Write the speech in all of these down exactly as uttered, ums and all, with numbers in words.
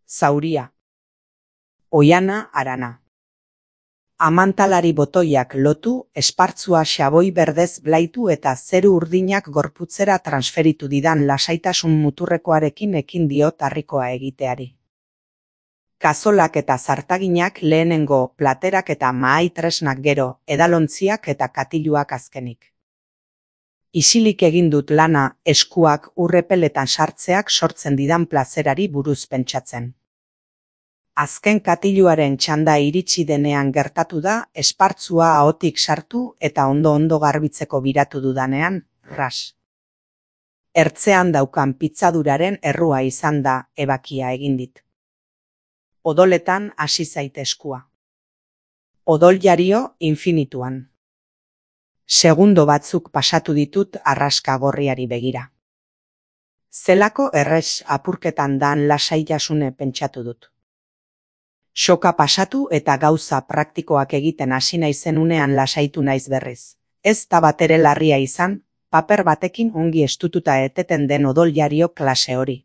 Zauria. Oiana Arana. Amantalari botoiak lotu, espartzua xaboi berdez blaitu eta zeru urdinak gorputzera transferitu didan lasaitasun muturrekoarekin ekin diot harrikoa egiteari. Kazolak eta zartaginak lehenengo, platerak eta mahai tresnak gero, edalontziak eta katiluak azkenik. Isilik egin dut lana, eskuak urrepeletan sartzeak sortzen didan plazerari buruz pentsatzen. Azken katiluaren txanda iritsi denean gertatu da, espartzua ahotik sartu eta ondo-ondo garbitzeko biratu dudanean, ras. Ertzean daukan pitzaduraren errua izan da, ebakia egin dit. Odoletan hasi zait eskua. Odol jario infinituan. Segundo batzuk pasatu ditut arraska gorriari begira. Zelako errez apurketan dan lasaitasune pentsatu dut. Soka pasatu eta gauza praktikoak egiten hasi naizen unean lasaitu naiz berriz. Ez da batere larria izan, paper batekin ongi estututa eteten den odol jario klase hori.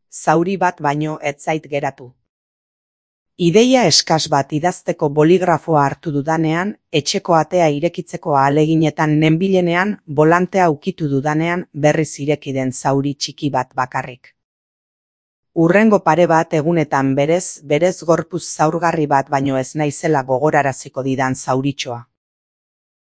Zauri bat baino ez zait geratu. Ideia eskas bat idazteko boligrafoa hartu dudanean, etxeko atea irekitzeko ahaleginetan nenbilenean, bolantea ukitu dudanean berriz ireki den zauri txiki bat bakarrik. Urrengo pare bat egunetan berez, berez gorpuz zaurgarri bat baino ez naizela gogoraraziko didan zauritxoa.